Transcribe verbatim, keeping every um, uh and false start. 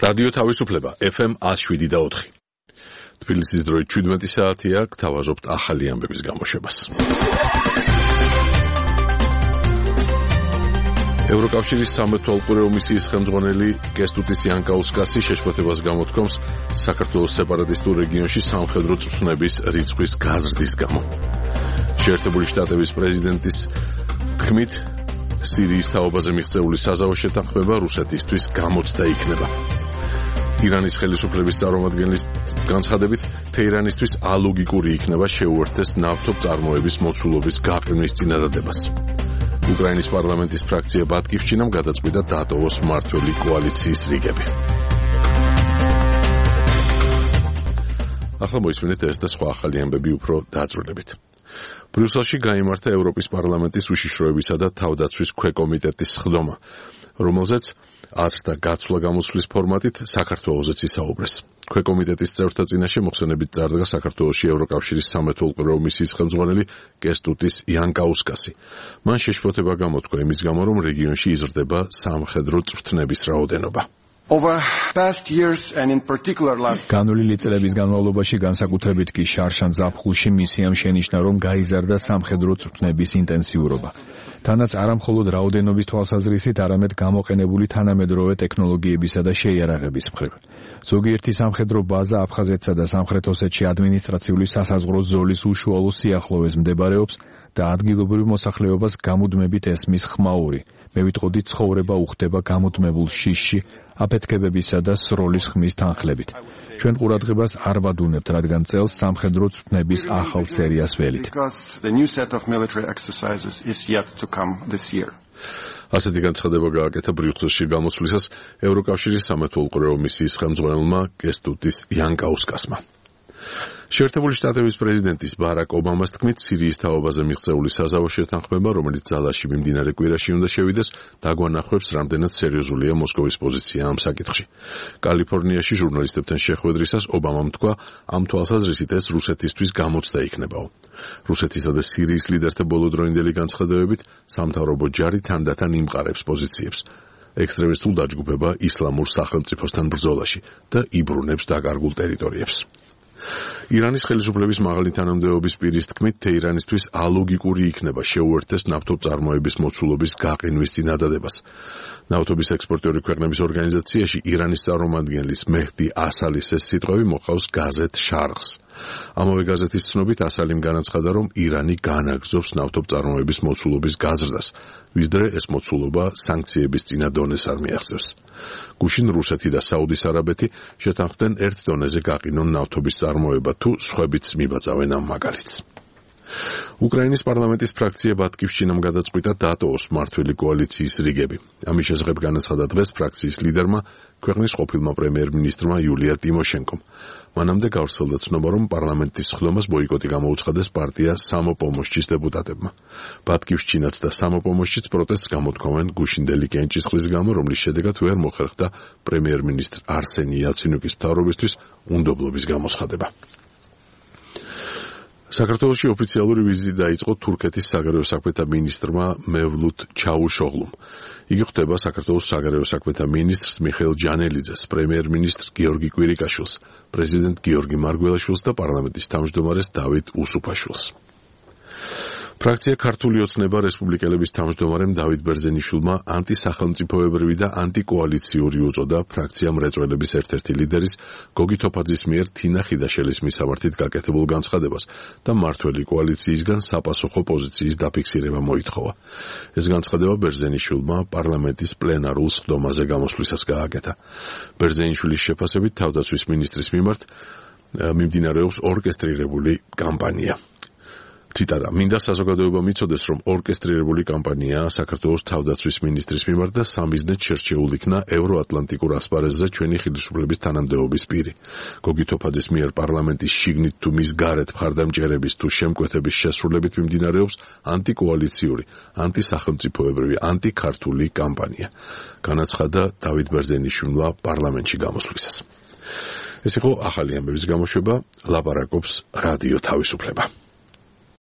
რადიო თავისუფლება ეფ ემ one oh seven და four. თბილისის დროით შვიდმეტი საათია, გთავაზობთ ახალი ამბების გამოშვებას. ევროკავშირის სამეთვალყურეო მისიის ხელმძღვანელი კესტუტის იანკაუსკასი შეშფოთებას გამოთქვამს საქართველოს სეპარატისტულ რეგიონში სამხედრო წვრთნების რიცხვის გაზრდის გამო. შეერთებული შტატების პრეზიდენტის თქმით, სირიის თაობაზე მიღწეული საზავო შეთანხმება რუსეთისთვის გამოცდა იქნება. ირანის ხელისუფლების წარმომადგენლის განცხადებით, თეირანისთვის ალოგიკური იქნება შეუერთდეს ნავთობწარმოების მოცულობის გაყინვის წინადადებას. უკრაინის პარლამენტის ფრაქცია ბატკივშჩინამ გადაწყვიტა დატოვოს მმართველი კოალიციის რიგები. ახლა მოისმინეთ ეს და სხვა ახალი ამბები უფრო დაწვრილებით. ბრიუსელში გაიმართა ევროპის პარლამენტის უშიშროებისა და თავდაცვის ქვეკომიტეტის სხდომა, რომელზეც აზრთა გაცვლა გამოცვლის ფორმატით საქართველოსაც ისაუბრეს. ქვეკომიტეტის წევრთა წინაშე მოხსენებით წარდგა საქართველოში ევროკავშირის სამეთვალყურეო მისიის ხელმძღვანელი კესტუტის იანკაუსკასი. მან შეშფოთება გამოთქვა იმის გამო, რომ რეგიონში იზრდება სამხედრო წვრთნების რაოდენობა. Over past years and in particular last განვლილი წლების განმავლობაში განსაკუთრებით კი შარშან ზაფხულში მისიამ შენიშნა, რომ გაიზარდა სამხედრო წვრთნების ინტენსიურობა. თანაც არამხოლოდ რაოდენობის თვალსაზრისით, არამედ გამოყენებული თანამედროვე ტექნოლოგიებისა და შეიარაღების მხრივ. ზოგიერთი სამხედრო ბაზა აფხაზეთსა და სამხრეთ ოსეთში ადმინისტრაციული სასაზღვრო ზოლის უშუალო სიახლოვეს მდებარეობს და ადგილობრივ მოსახლეობას გამუდმებით ესმის ხმაური. მე ვიტყოდი, ცხოვრება უხდება გამუდმებულ შიშში, აფეთქებებისა და სროლის ხმის თანხლებით. ჩვენ ყურადღებას არ ვადუნებთ, რადგან წელს სამხედრო წვრთნების ახალ სერიას ველით. ასეთი განცხადება გააკეთა ბრიუსელში გამოსვლისას ევროკავშირის სამეთვალყურეო მისიის ხელმძღვანელმა კესტუტის იანკაუსკასმა. შეერთებული შტატების პრეზიდენტის ბარაკ ობამას თქმით, სირიის თაობაზე მიღწეული საზავო შეთანხმება, რომელიც ძალაში მიმდინარე კვირაში უნდა შევიდეს, დაგვანახებს, რამდენად სერიოზულია მოსკოვის პოზიცია ამ საკითხში. კალიფორნიაში ჟურნალისტებთან შეხვედრისას ობამამ თქვა, ამ თვალსაზრისით ეს რუსეთისთვის გამოცდა იქნებაო. რუსეთისა და სირიის ლიდერთა ბოლოდროინდელი განცხადებებით, სამთავრობო ჯარი თანდათან იმყარებს პოზიციებს. ექსტრემისტულ დაჯგუფება ისლამურ სახელმწიფოსთან ბრძოლაში და იბრუნებს დაკარგულ ტერიტორიებს. ირანის ხელისუფლების მაღალი თანამდებობის პირის თქმით, თეირანისთვის ალოგიკური იქნება შეუერთდეს ნავთობწარმოების მოცულობის გაყინვის წინადადებას. ნავთობის ექსპორტიორი ქვეყნების ორგანიზაციაში ირანის წარმომადგენლის მეჰდი ასალის ეს სიტყვები მოყავს გაზეთ შარღს. ამავე გაზეთის ცნობით ასალიმ განაცხადა, რომ ირანი განაგრძობს ნავთობწარმოების მოცულობის გაზრდას, ვისდრე ეს მოცულობა სანქციების წინა დონეს არ მიაღწევს. გუშინ რუსეთი და საუდის არაბეთი შეთანხმდნენ ერთ დონეზე გაყინონ ნავთობის წარმოება თუ სხვებიც მიბაწავენ ამ მაგალითს. უკრაინის პარლამენტის ფრაქცია ბატკივშჩინამ გადაწყვიტა დატოვოს მმართველი კოალიციის რიგები. ამის შესახებ განაცხადა დღეს ფრაქციის ლიდერმა, ქვეყნის ყოფილმა პრემიერ-მინისტრმა იულია ტიმოშენკომ. მანამდე გავრცელდა ცნობა, რომ პარლამენტის სხდომას ბოიკოტი გამოუცხადეს პარტია სამოპომოშჩის დეპუტატებმა. ბატკივშჩინაც და სამოპომოშჩიც პროტესტს გამოთქვამენ გუშინდელი კენჭისყრის გამო, რომლის შედეგად ვერ მოხერხდა პრემიერ-მინისტრ არსენი იალცინუკის მთავრობისთვის უნდობლობის გამოცხადება. საქართველოში ოფიციალური ვიზიტი დაიწყო თურქეთის საგარეო საქმეთა მინისტრმა მევლութ ჩაუშოღლუმ. იგი ხვდება საქართველოს საგარეო საქმეთა მინისტრს მიხეილ ჯანელიძეს, პრემიერ-მინისტრ გიორგი კვირიკაშვილს, პრეზიდენტ გიორგი მარგველაშვილს და პარლამენტის თავმჯდომარეს დავით უსუფაშვილს. ფრაქცია ქართული ოცნება რესპუბლიკელების თავმჯდომარემ დავით ბერძენიშვილმა ანტისახელმწიფოებრივი და ანტიკოალიციური უწოდა ფრაქცია მრეწველების ერთ-ერთი ლიდერის გოგი თოფაძის მიერ თინა ხიდაშელის მისამართით გაკეთებულ განცხადებას და მმართველი კოალიციისგან საპასუხო პოზიციის დაფიქსირება მოითხოვა. ეს განცხადება ბერძენიშვილმა პარლამენტის პლენარულ სხდომაზე გამოსვლისას გააკეთა. ბერძენიშვილის შეფასებით თავდაცვის მინისტრის მიმართ მიმდინარეობს ორკესტრირებული კამპანია. ციტატა: მინდა საზოგადოებამ იცოდეს, რომ ორკესტრირებული კამპანიაა საქართველოს თავდაცვის მინისტრის მიმართ და სამიზნედ შერჩეულ იქნა ევროატლანტიკურ ასპარეზზე ჩვენი ხელისუფლების თანამდებობის პირი. გოგი თოფაძის მიერ პარლამენტის შიგნით თუ მის გარეთ მხარდამჭერების თუ შემკვეთების შესრულებით მიმდინარეობს ანტიკოალიციური, ანტისახელმწიფოებრივი, ანტიქართული კამპანია. განაცხადა დავით ბერძენიშვილმა პარლამენტში გამოსვლისას. ეს იყო ახალი ამბების გამოშვება, ლაპარაკობს რადიო თავისუფლება.